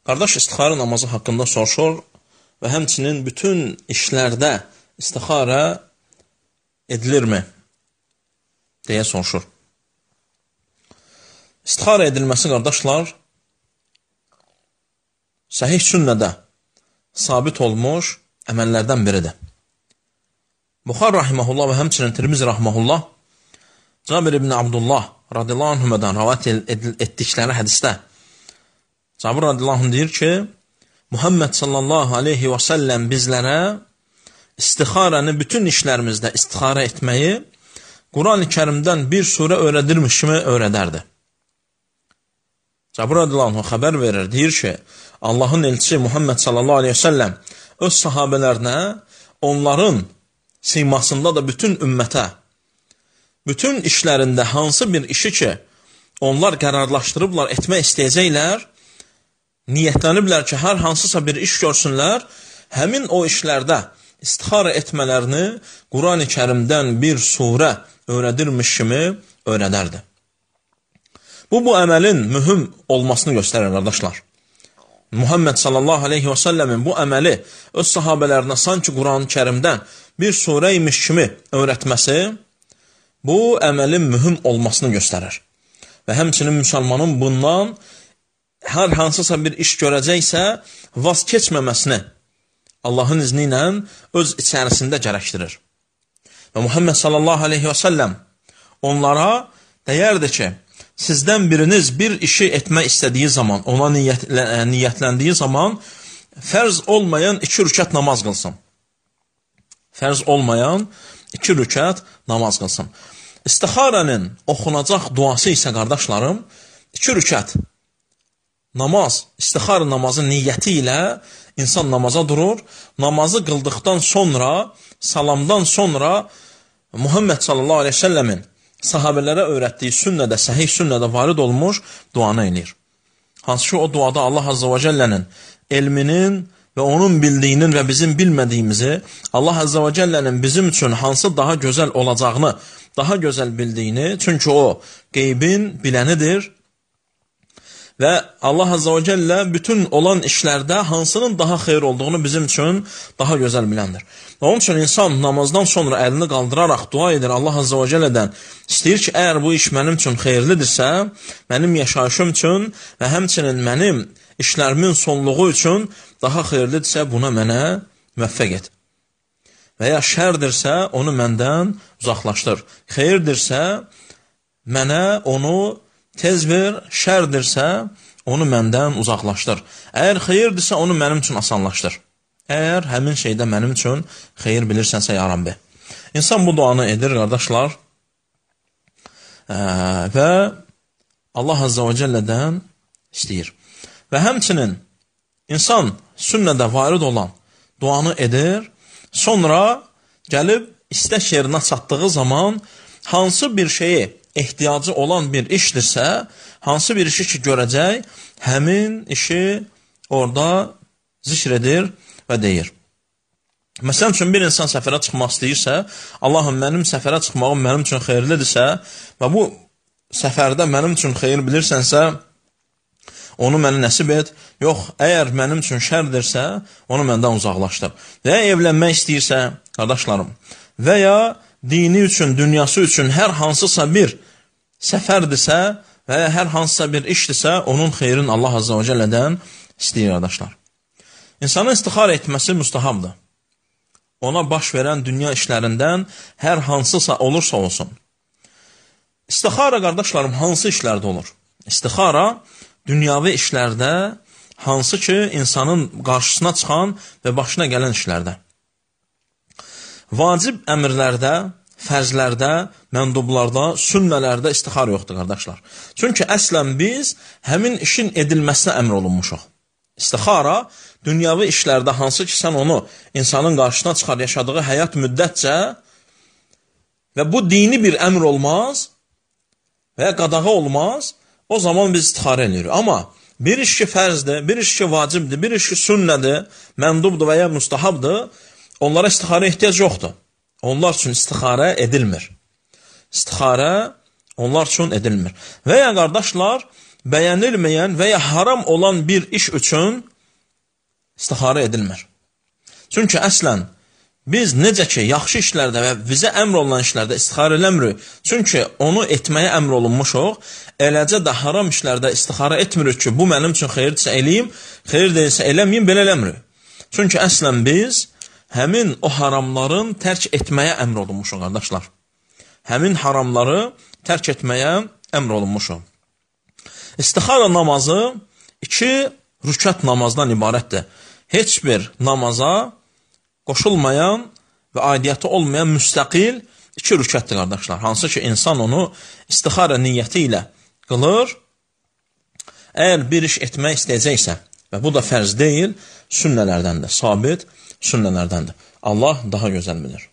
Qardaş istixara namazı haqqında soruşur və həmçinin bütün işlərdə istixara edilirmi deyə soruşur. İstixara edilməsi, qardaşlar, səhih sünnədə sabit olmuş əməllərdən biridir. Buxar rahiməhullah və həmçinin Tirmizi rahiməhullah Cabir ibn Abdullah radiyallahu anhümədən rəvayət etdikləri hədisdə Cabir radiyallahu anh deyir ki, Muhammed sallallahu aleyhi və səlləm bizlərə istixarəni bütün işlərimizdə istixara etməyi Quran-ı Kərimdən bir surə öyrədirmiş kimi öyrədərdi. Cabir radiyallahu anh xəbər verir, deyir ki, Allahın elçisi Muhammed sallallahu aleyhi və səlləm öz sahabələrinə onların simasında da bütün ümmətə, bütün işlərində hansı bir işi ki, onlar qərarlaşdırıblar, etmək istəyəcəklər, niyyətləniblər ki, hər hansısa bir iş görsünlər, həmin o işlərdə istixara etmələrini Quran-ı Kərimdən bir surə öyrədirmiş kimi öyrədərdi. Bu əməlin mühüm olmasını göstərir, qardaşlar. Muhammed sallallahu aleyhi və səlləmin bu əməli öz sahabələrinə sanki Quran-ı Kərimdən bir surə imiş kimi öyrətməsi, bu əməlin mühüm olmasını göstərir. Və həmçinin müsəlmanın bundan hər hansısa bir iş görəcəksə, vaz keçməməsini Allahın izni ilə öz içərisində gərəkdirir. Və Muhammed sallallahu aleyhi və səlləm onlara deyərdi ki, sizdən biriniz bir işi etmək istədiyi zaman, ona niyyətləndiyi zaman fərz olmayan 2 rükət namaz qılsın. Fərz olmayan 2 rükət namaz qılsın. İstixarənin oxunacaq duası isə, qardaşlarım, 2 rükət namaz, istixara namazı niyyəti ilə insan namaza durur. Namazı qıldıqdan sonra, salamdan sonra Muhammed sallallahu aleyhi ve səlləmin sahabələrə öyrətdiyi sünnədə, səhih sünnədə varid olmuş duanı eləyir. Hansı ki, o duada Allah azza və cəllənin elminin və onun bildiyinin və bizim bilmədiyimizi, Allah azza və cəllənin bizim üçün hansı daha gözəl olacağını, daha gözəl bildiyini, çünki o qeybin bilənidir və Allah azza və cəllə bütün olan işlərdə hansının daha xeyir olduğunu bizim üçün daha gözəl biləndir. Və onun üçün insan namazdan sonra əlini qaldıraraq dua edir Allah azza və cəllədən. İstəyir ki, əgər bu iş mənim üçün xeyirlidirsə, mənim yaşayışım üçün və həmçinin mənim işlərimin sonluğu üçün daha xeyirlidirsə, buna mənə müvəffəq et. Və ya şərdirsə, onu məndən uzaqlaşdır. Xeyirdirsə, mənə onu tez ver, şərdirsə, onu məndən uzaqlaşdır. Əgər xeyirdirsə, onu mənim üçün asanlaşdır. Əgər həmin şeydə mənim üçün xeyir bilirsənsə, ya Rabbi. İnsan bu duanı edir, qardaşlar, və Allah azza və cəllədən istəyir. Və həmçinin insan sünnədə varid olan duanı edir, sonra gəlib istək yerinə çatdığı zaman hansı bir şeyi ehtiyacı olan bir işdirsə, hansı bir işi ki görəcək, həmin işi orada zikr edir və deyir. Məsələn üçün bir insan səfərə çıxmaq istəyirsə, Allahım mənim səfərə çıxmağım mənim üçün xeyirlidirsə və bu səfərdə mənim üçün xeyir bilirsənsə, onu mənə nəsib et. Yox, əgər mənim üçün şərdirsə, onu məndən uzaqlaşdır. Və ya evlənmək istəyirsə, qardaşlarım, və ya dini üçün, dünyası üçün hər hansısa bir səfərdirsə və ya hər hansısa bir işdirsə, onun xeyrin Allah azza və cəllədən istəyir, qardaşlar. İnsanın istixara etməsi müstahabdır. Ona baş verən dünya işlərindən hər hansısa olursa olsun. İstixara, qardaşlarım, hansı işlərdə olur? İstixara dünyavi işlərdə, hansı ki, insanın qarşısına çıxan və başına gələn işlərdə. Vacib əmrlərdə, fərzlərdə, məndublarda, sünnələrdə istixara yoxdur, qardaşlar. Çünki əslən biz həmin işin edilməsinə əmr olunmuşuq. İstixara dünyavi işlərdə, hansı ki, sən onu insanın qarşısına çıxar, yaşadığı həyat müddətcə və bu dini bir əmr olmaz və ya qadağa olmaz, o zaman biz istixara edirik. Amma bir iş ki fərzdir, bir iş ki vacibdir, bir iş ki sünnədir, məndubdur və ya müstahabdır, onlara istixara ehtiyac yoxdur. Onlar üçün istixara edilmir. İstixara onlar üçün edilmir. Və ya qardaşlar, bəyənilməyən və ya haram olan bir iş üçün istixarə edilmir. Çünki əslən, biz necə ki, yaxşı işlərdə və bizə əmr olunan işlərdə istixarə eləmirik, çünki onu etməyə əmr olunmuşuq, eləcə də haram işlərdə istixarə etmirik ki, bu mənim üçün xeyirdirsə eləyim, xeyir deyilsə eləməyim, belə eləmirik. Çünki əslən biz həmin o haramların tərk etməyə əmr olunmuşuq, qardaşlar. Həmin haramları tərk etməyə əmr olunmuşuq. İstixara namazı 2 rükət namazdan ibarətdir. Heç bir namaza qoşulmayan və aidiyyəti olmayan müstəqil 2 rükətdir, qardaşlar. Hansı ki, insan onu istixara niyyəti ilə qılır. Əgər bir iş etmək istəyəcəksə, və bu da fərz deyil, sünnələrdəndir, sabit sünnələrdəndir. Allah daha gözəl bilir.